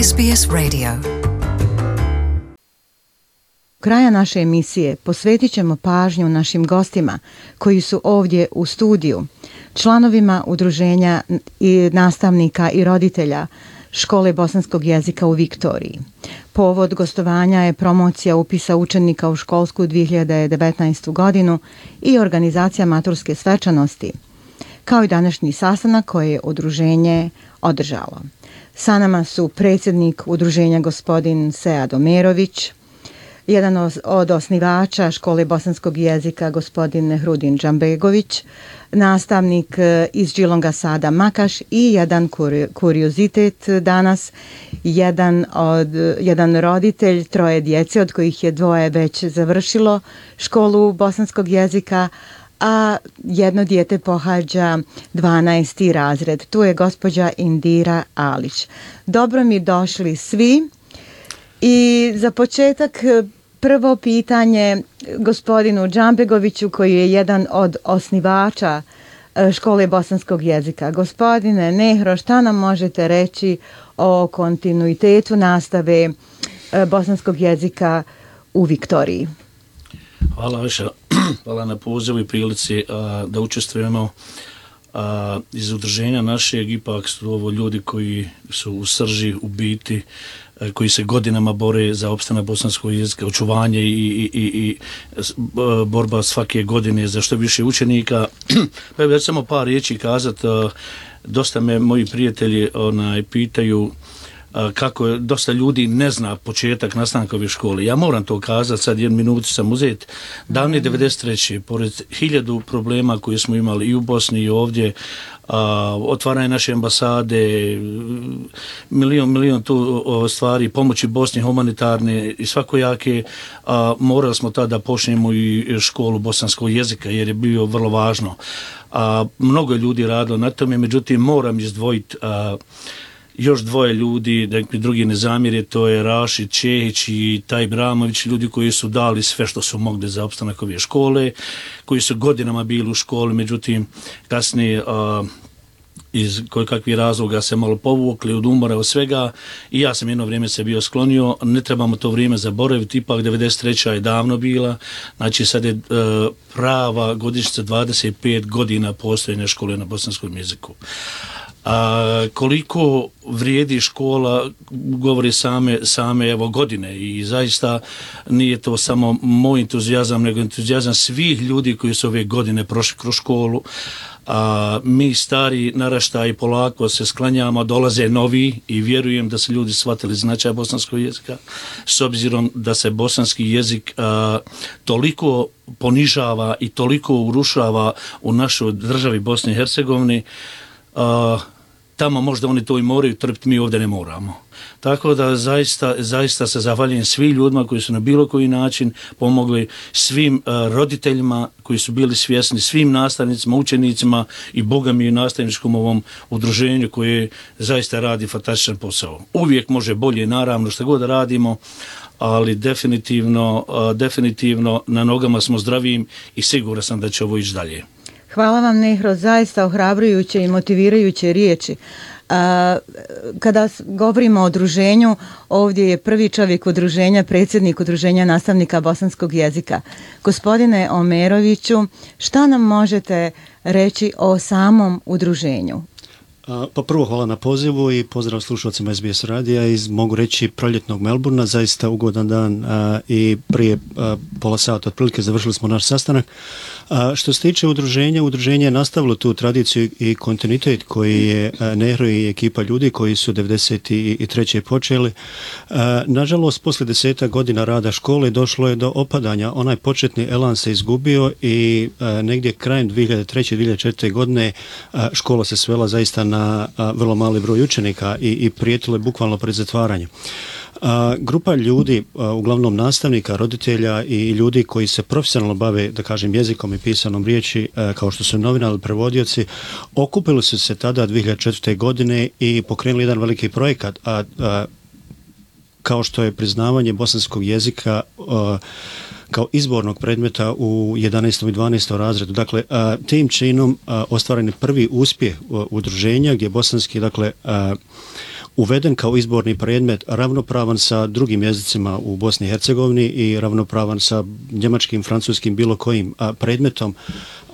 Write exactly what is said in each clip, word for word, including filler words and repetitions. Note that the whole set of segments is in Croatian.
S B S Radio. Kraja naše emisije posvetit ćemo pažnju našim gostima koji su ovdje u studiju, članovima udruženja i nastavnika i roditelja Škole bosanskog jezika u Viktoriji. Povod gostovanja je promocija upisa učenika u školsku dvije hiljade devetnaestu. godinu i organizacija maturske svečanosti, kao i današnji sastanak koje je udruženje održalo. Sa nama su predsjednik udruženja gospodin Sead Omerović, jedan od osnivača Škole bosanskog jezika gospodin Hrudin Džambegović, nastavnik iz Džilonga Sada Makaš i jedan kuriozitet danas, jedan, od, jedan roditelj troje djece od kojih je dvoje već završilo školu bosanskog jezika, a jedno dijete pohađa dvanaesti razred. Tu je gospođa Indira Alić. Dobro mi došli svi. I za početak prvo pitanje gospodinu Džambegoviću koji je jedan od osnivača Škole bosanskog jezika. Gospodine Nehro, šta nam možete reći o kontinuitetu nastave bosanskog jezika u Viktoriji? Hvala Aša, hvala na pozivu i prilici a, da učestvujemo. A, iz udruženja našeg ipak su ovo ljudi koji su u srži, u biti, a, koji se godinama bore za opstanak bosanskog jezika, očuvanje i, i, i, i a, borba svake godine za što više učenika. Pa evo, ja ću samo par riječi kazati. A, dosta me moji prijatelji onaj, pitaju kako dosta ljudi ne zna početak nastanka ove škole. Ja moram to kazati, sad jednu minutu sam uzeti. Davne devedeset treće. pored hiljadu problema koje smo imali i u Bosni i ovdje, a, otvaranje naše ambasade, milion, milion tu o, stvari, pomoći Bosni humanitarne i svakojake, a, morali smo tada počnemo i školu bosanskog jezika jer je bio vrlo važno. A, mnogo ljudi radilo na tome, međutim moram izdvojiti a, još dvoje ljudi, da mi drugi ne zamjere, to je Rašid Čehić i Taj Bramović, ljudi koji su dali sve što su mogli za opstanak ove škole, koji su godinama bili u školi, međutim kasnije a, iz kojekakvih razloga se malo povukli od umora od svega i ja sam jedno vrijeme se bio sklonio. Ne trebamo to vrijeme zaboraviti, ipak devedeset treća je davno bila, znači sad je e, prava godišnjica dvadeset pet godina postojanja škole na bosanskom jeziku. A koliko vrijedi škola govori same, same evo godine i zaista nije to samo moj entuzijazam nego entuzijazam svih ljudi koji su ove godine prošli kroz školu. A mi stari naraštaji polako se sklanjamo, dolaze novi i vjerujem da su ljudi shvatili značaj bosanskog jezika s obzirom da se bosanski jezik a, toliko ponižava i toliko urušava u našoj državi Bosni i Hercegovini. A, tamo možda oni to i moraju trpiti, mi ovdje ne moramo. Tako da zaista, zaista se zahvaljujem svim ljudima koji su na bilo koji način pomogli, svim uh, roditeljima koji su bili svjesni, svim nastavnicima, učenicima i Boga mi i nastavničkom ovom udruženju koje zaista radi fantastičan posao. Uvijek može bolje, naravno, što god radimo, ali definitivno, uh, definitivno na nogama smo zdravijim i siguran sam da će ovo ići dalje. Hvala vam, Nehro, zaista ohrabrujuće i motivirajuće riječi. A, kada govorimo o udruženju, ovdje je prvi čovjek udruženja, predsjednik udruženja nastavnika bosanskog jezika. Gospodine Omeroviću, šta nam možete reći o samom udruženju? Pa prvo hvala na pozivu i pozdrav slušalcima S B S radija iz, mogu reći, proljetnog Melburna, zaista ugodan dan a, i prije a, pola sata otprilike završili smo naš sastanak. A, što se tiče udruženja, udruženje je nastavilo tu tradiciju i kontinuitet koji je a, Nehro i ekipa ljudi koji su devedeset treće počeli. A, nažalost, poslije deseta godina rada škole došlo je do opadanja. Onaj početni elan se izgubio i a, negdje krajem dvije hiljade treće. dvije hiljade četvrte. godine a, škola se svela zaista na na a, vrlo mali broj učenika i, i prijetilo je bukvalno pred zatvaranjem. A, grupa ljudi, a, uglavnom nastavnika, roditelja i ljudi koji se profesionalno bave, da kažem, jezikom i pisanom riječi, a, kao što su novinari, prevodioci, okupili su se tada dvije hiljade četvrte. godine i pokrenuli jedan veliki projekat, a, a kao što je priznavanje bosanskog jezika a, kao izbornog predmeta u jedanaestom i dvanaestom razredu. Dakle, a, tim činom a, ostvaren je prvi uspjeh udruženja gdje bosanski, dakle, a, uveden kao izborni predmet ravnopravan sa drugim jezicima u Bosni i Hercegovini i ravnopravan sa njemačkim, francuskim, bilo kojim a, predmetom,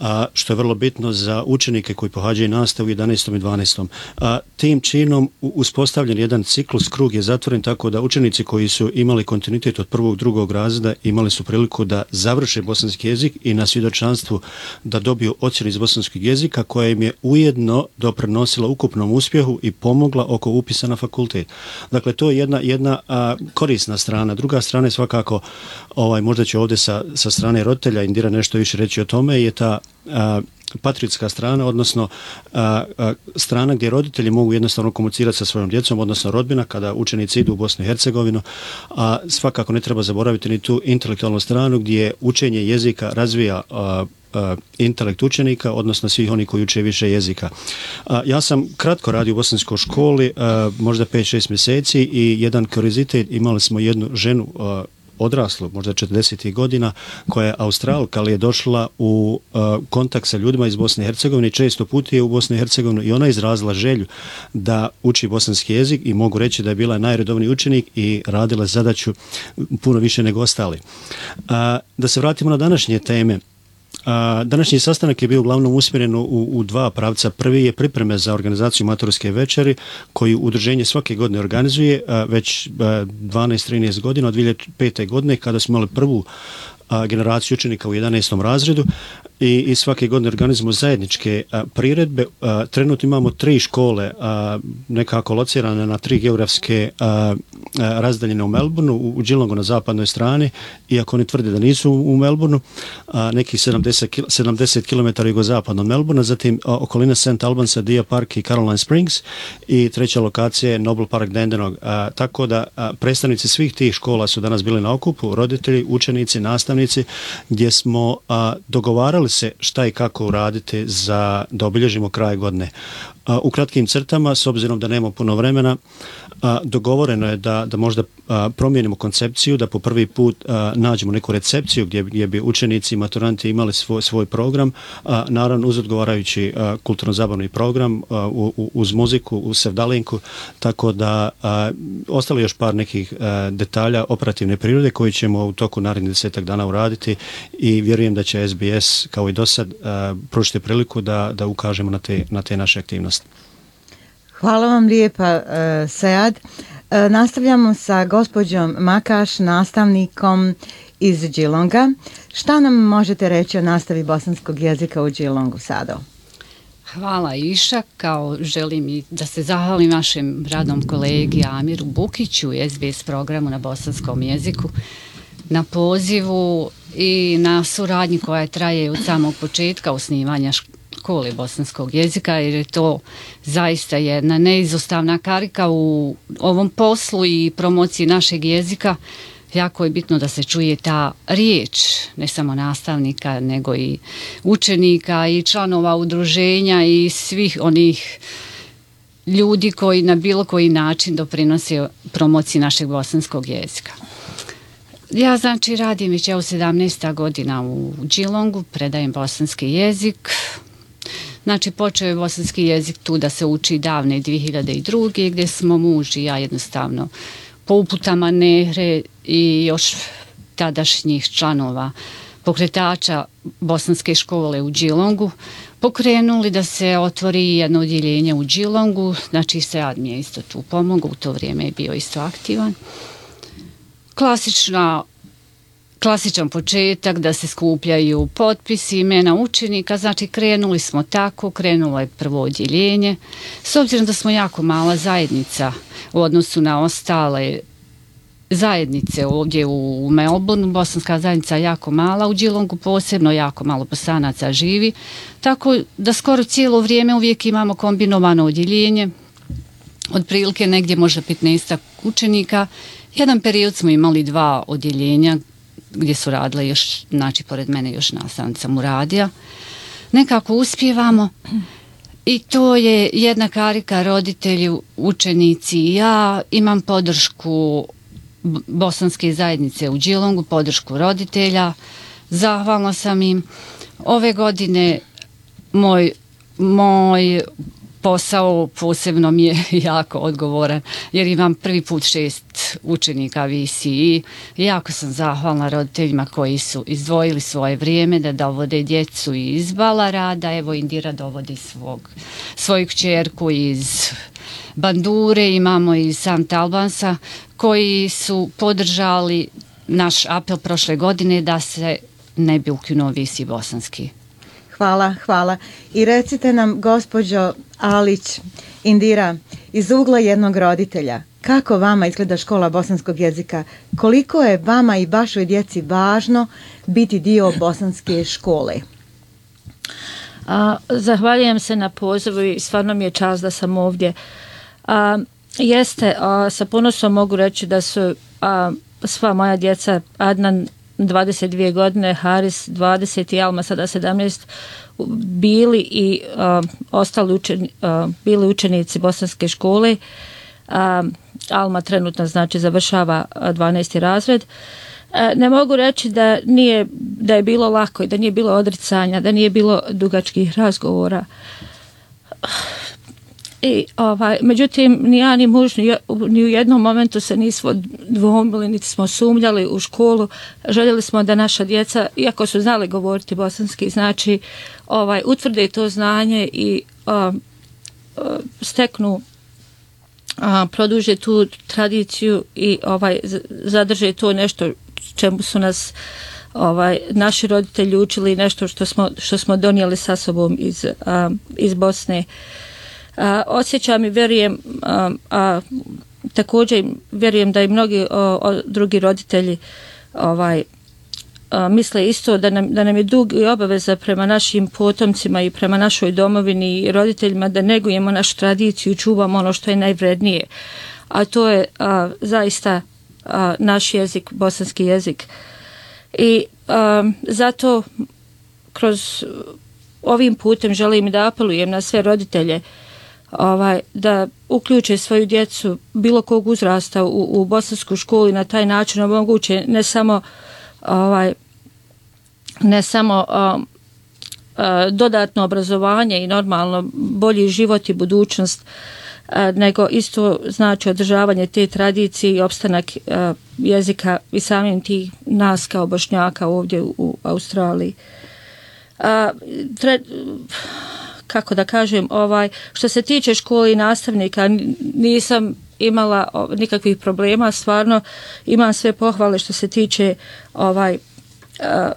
a, što je vrlo bitno za učenike koji pohađaju nastavu u jedanaestom i dvanaestom. A, tim činom uspostavljen jedan ciklus, krug je zatvoren tako da učenici koji su imali kontinuitet od prvog, drugog razreda imali su priliku da završe bosanski jezik i na svjedočanstvu da dobiju ocjenu iz bosanskog jezika koja im je ujedno doprinosila ukupnom uspjehu i pomogla oko upisa na fakultet. Dakle, to je jedna, jedna a, korisna strana. Druga strana je svakako, ovaj, možda će ovdje sa, sa strane roditelja Indira nešto više reći o tome, je ta a, patriotska strana, odnosno a, a, strana gdje roditelji mogu jednostavno komunicirati sa svojom djecom, odnosno rodbina kada učenici idu u Bosnu i Hercegovinu, a svakako ne treba zaboraviti ni tu intelektualnu stranu gdje učenje jezika razvija a, a, intelekt učenika, odnosno svih oni koji uče više jezika. A, ja sam kratko radio u bosanskoj školi, a, možda pet šest mjeseci i jedan kuriozitet, imali smo jednu ženu a, odraslu, možda četrdesetih godina, koja je Australka, ali je došla u uh, kontakt sa ljudima iz Bosne i Hercegovine i često putuje u Bosnu i Hercegovinu i ona je izrazila želju da uči bosanski jezik i mogu reći da je bila najredovniji učenik i radila zadaću puno više nego ostali. Uh, da se vratimo na današnje teme. A, današnji sastanak je bio uglavnom usmjeren u, u dva pravca. Prvi je pripreme za organizaciju maturske večeri koju udruženje svake godine organizuje a, već dvanaest trinaest godina, od dvije hiljade pete. godine kada smo imali prvu a, generaciju učenika u jedanaestom razredu i, i svake godine organizujemo zajedničke a, priredbe. A, trenutno imamo tri škole a, nekako locirane na tri geografske a, a, razdaljene u Melbourneu, u, u Geelongu na zapadnoj strani, iako oni tvrde da nisu u, u Melbourneu, a, nekih sedamdeset kilometara jugozapadno od Melbournea, zatim a, okolina Saint Albansa, Deer Park i Caroline Springs i treća lokacija je Noble Park Dandenong. A, tako da a, predstavnici svih tih škola su danas bili na okupu, roditelji, učenici, nastavnici, gdje smo a, dogovarali se šta i kako uraditi za da obilježimo kraj godine. A, u kratkim crtama, s obzirom da nemamo puno vremena, a, dogovoreno je da, da možda a, promijenimo koncepciju, da po prvi put a, nađemo neku recepciju gdje, gdje bi učenici i maturanti imali svoj, svoj program, a, naravno uz odgovarajući kulturno-zabavni program a, u, u, uz muziku, uz sevdalinku, tako da a, ostalo još par nekih a, detalja operativne prirode koji ćemo u toku narednih desetak dana uraditi i vjerujem da će S B S kao i do sad pružiti priliku da, da ukažemo na te, na te naše aktivnosti. Hvala vam lijepa, uh, Sead. Uh, nastavljamo sa gospođom Makaš, nastavnikom iz Geelonga. Šta nam možete reći o nastavi bosanskog jezika u Geelongu sada? Hvala Iša, kao želim i da se zahvalim našem radnom kolegi Amiru Bukiću i S B S programu na bosanskom jeziku na pozivu i na suradnji koja traje od samog početka osnivanja škole bosanskog jezika, jer je to zaista jedna neizostavna karika u ovom poslu i promociji našeg jezika. Jako je bitno da se čuje ta riječ, ne samo nastavnika, nego i učenika i članova udruženja i svih onih ljudi koji na bilo koji način doprinose promociji našeg bosanskog jezika. Ja znači radim već evo sedamnaesta godina u Geelongu, predajem bosanski jezik. Znači počeo je bosanski jezik tu da se uči davne dvije hiljade druge. gdje smo muž i ja jednostavno po uputama Nehre i još tadašnjih članova pokretača bosanske škole u Geelongu pokrenuli da se otvori jedno odjeljenje u Geelongu. Znači Sead mi je isto tu pomogao, u to vrijeme je bio isto aktivan. Klasična, klasičan početak da se skupljaju potpisi, imena učenika, znači krenuli smo tako, krenulo je prvo odjeljenje. S obzirom da smo jako mala zajednica u odnosu na ostale zajednice ovdje u Melbourneu, bosanska zajednica je jako mala, u Geelongu posebno jako malo Bosanaca živi, tako da skoro cijelo vrijeme uvijek imamo kombinovano odjeljenje, otprilike negdje možda petnaestak učenika. Jedan period smo imali dva odjeljenja gdje su radile još, znači pored mene još nastavnica Muradija. Nekako uspijevamo i to je jedna karika, roditelji, učenici i ja. Imam podršku bosanske zajednice u Geelongu, podršku roditelja. Zahvalna sam im. Ove godine moj, moj posao posebno mi je jako odgovoran jer imam prvi put šest učenika V C E. Jako sam zahvalna roditeljima koji su izdvojili svoje vrijeme da dovode djecu iz Balarada. Evo Indira dovodi svog, svoju kćerku iz Bandure, imamo iz Sant Albansa koji su podržali naš apel prošle godine da se ne bi ukinuo V C bosanski. Hvala, hvala. I recite nam, gospođo Alić, Indira, iz ugla jednog roditelja, kako vama izgleda škola bosanskog jezika? Koliko je vama i vašoj djeci važno biti dio bosanske škole? A, zahvaljujem se na pozivu i stvarno mi je čast da sam ovdje. A, jeste, a, sa ponosom mogu reći da su a, sva moja djeca, Adnan dvadeset dvije godine, Haris dvadeset i Alma sada sedamnaest, bili i a, ostali učeni, a, bili učenici bosanske škole. A, Alma trenutno znači završava dvanaesti razred. A, ne mogu reći da nije, da je bilo lako i da nije bilo odricanja, da nije bilo dugačkih razgovora. I, ovaj, međutim, ni ja ni muž ni, ni u jednom momentu se nismo dvomili, niti smo sumnjali u školu. Željeli smo da naša djeca, iako su znali govoriti bosanski, znači ovaj, utvrde to znanje i a, a, steknu, a, produže tu tradiciju i ovaj, zadrže to nešto čemu su nas ovaj, naši roditelji učili, nešto što smo, što smo donijeli sa sobom iz, a, iz Bosne. A, osjećam i vjerujem, a, a također vjerujem da i mnogi o, o, drugi roditelji ovaj, a, misle isto da nam, da nam je dug i obaveza prema našim potomcima i prema našoj domovini i roditeljima da negujemo našu tradiciju i čuvamo ono što je najvrednije. A to je a, zaista a, naš jezik, bosanski jezik. I a, zato kroz ovim putem želim da apelujem na sve roditelje ovaj, da uključe svoju djecu bilo kog uzrasta u, u bosansku školu i na taj način omoguće ne samo ovaj, ne samo um, uh, dodatno obrazovanje i normalno bolji život i budućnost, uh, nego isto znači održavanje te tradicije i opstanak uh, jezika i samim tih nas kao Bošnjaka ovdje u, u Australiji. Uh, tre, kako da kažem, ovaj, što se tiče škole i nastavnika, nisam imala nikakvih problema, stvarno imam sve pohvale što se tiče ovaj, uh,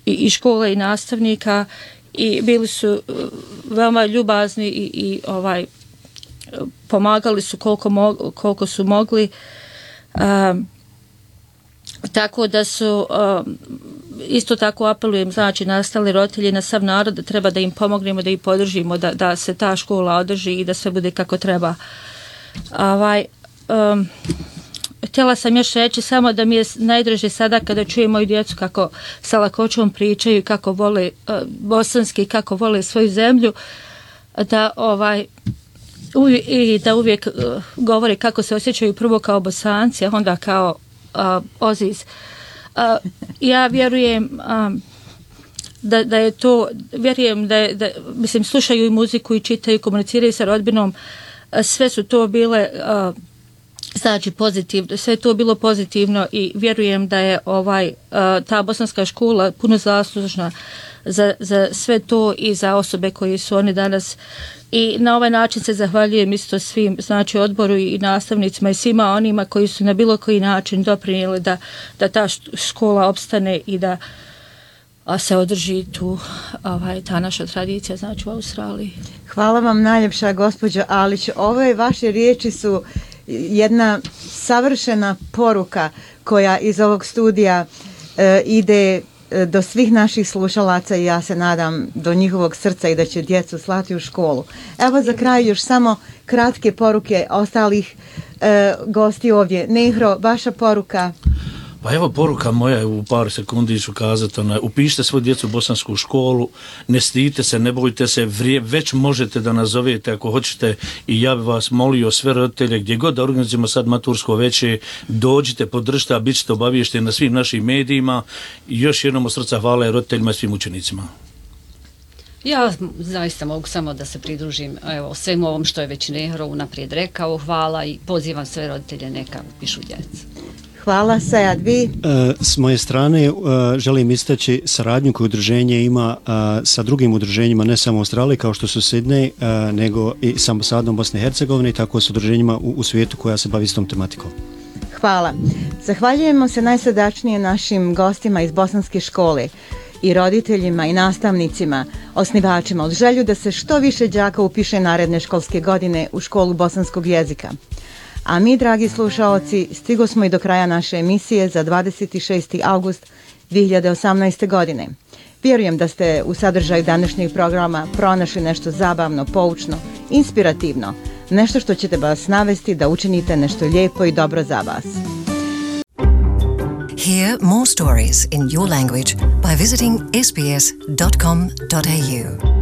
i, i škole i nastavnika i bili su uh, veoma ljubazni i, i ovaj, pomagali su koliko, mo- koliko su mogli. Uh, tako da su uh, isto tako apelujem znači na ostale roditelje, na sav narod da treba da im pomognemo, da ih podržimo, da, da se ta škola održi i da sve bude kako treba. Ovaj, um, htjela sam još reći samo da mi je najdraže sada kada čujem moju djecu kako sa lakoćom pričaju, kako vole uh, bosanski, kako vole svoju zemlju, da ovaj uvijek, i da uvijek uh, govore kako se osjećaju prvo kao Bosanci, a onda kao uh, Oziz. Uh, ja vjerujem um, da, da je to, vjerujem da, je, da mislim, slušaju i muziku i čitaju, komuniciraju sa rodbinom, uh, sve su to bile uh, znači pozitivno, sve je to bilo pozitivno i vjerujem da je ovaj uh, ta bosanska škola puno zaslužna za, za sve to i za osobe koji su oni danas. I na ovaj način se zahvaljujem isto svim, znači odboru i nastavnicima i svima onima koji su na bilo koji način doprinijeli da, da ta škola opstane i da a se održi tu ovaj, ta naša tradicija, znači u Australiji. Hvala vam najljepša, gospođo Alić. Ove vaše riječi su jedna savršena poruka koja iz ovog studija e, ide do svih naših slušalaca i ja se nadam do njihovog srca i da će djecu slati u školu. Evo za kraj još samo kratke poruke ostalih e, gosti ovdje. Nehro, vaša poruka? Pa evo poruka moja, u par sekundi ću kazati, ona, upišite svoju djecu u bosansku školu, ne stidite se, ne bojite se, vrije, već možete da nazovete ako hoćete i ja bih vas molio sve roditelje, gdje god da organizujemo sad matursko veće, dođite, podržite, a bit ćete obaviješteni na svim našim medijima i još jednom od srca hvala roditeljima i svim učenicima. Ja zaista mogu samo da se pridružim evo, svemu ovom što je već Nehro unaprijed rekao. Hvala i pozivam sve roditelje neka upišu djecu. Hvala, Sajad, vi? S moje strane želim istaći saradnju koju udruženje ima sa drugim udruženjima, ne samo u Australiji kao što su Sidney, nego i sa ambasadom Bosne i Hercegovine i tako s udruženjima u, u svijetu koja se bavi istom tematikom. Hvala. Zahvaljujemo se najsrdačnije našim gostima iz Bosanske škole i roditeljima i nastavnicima, osnivačima od želju da se što više đaka upiše naredne školske godine u školu bosanskog jezika. A mi, dragi slušaoci, stigo smo i do kraja naše emisije za dvadeset šesti avgust dvije hiljade osamnaeste. godine. Vjerujem da ste u sadržaju današnjeg programa pronašli nešto zabavno, poučno, inspirativno, nešto što ćete vas navesti da učinite nešto lijepo i dobro za vas. Hear more stories in your language by visiting s b s dot com dot a u.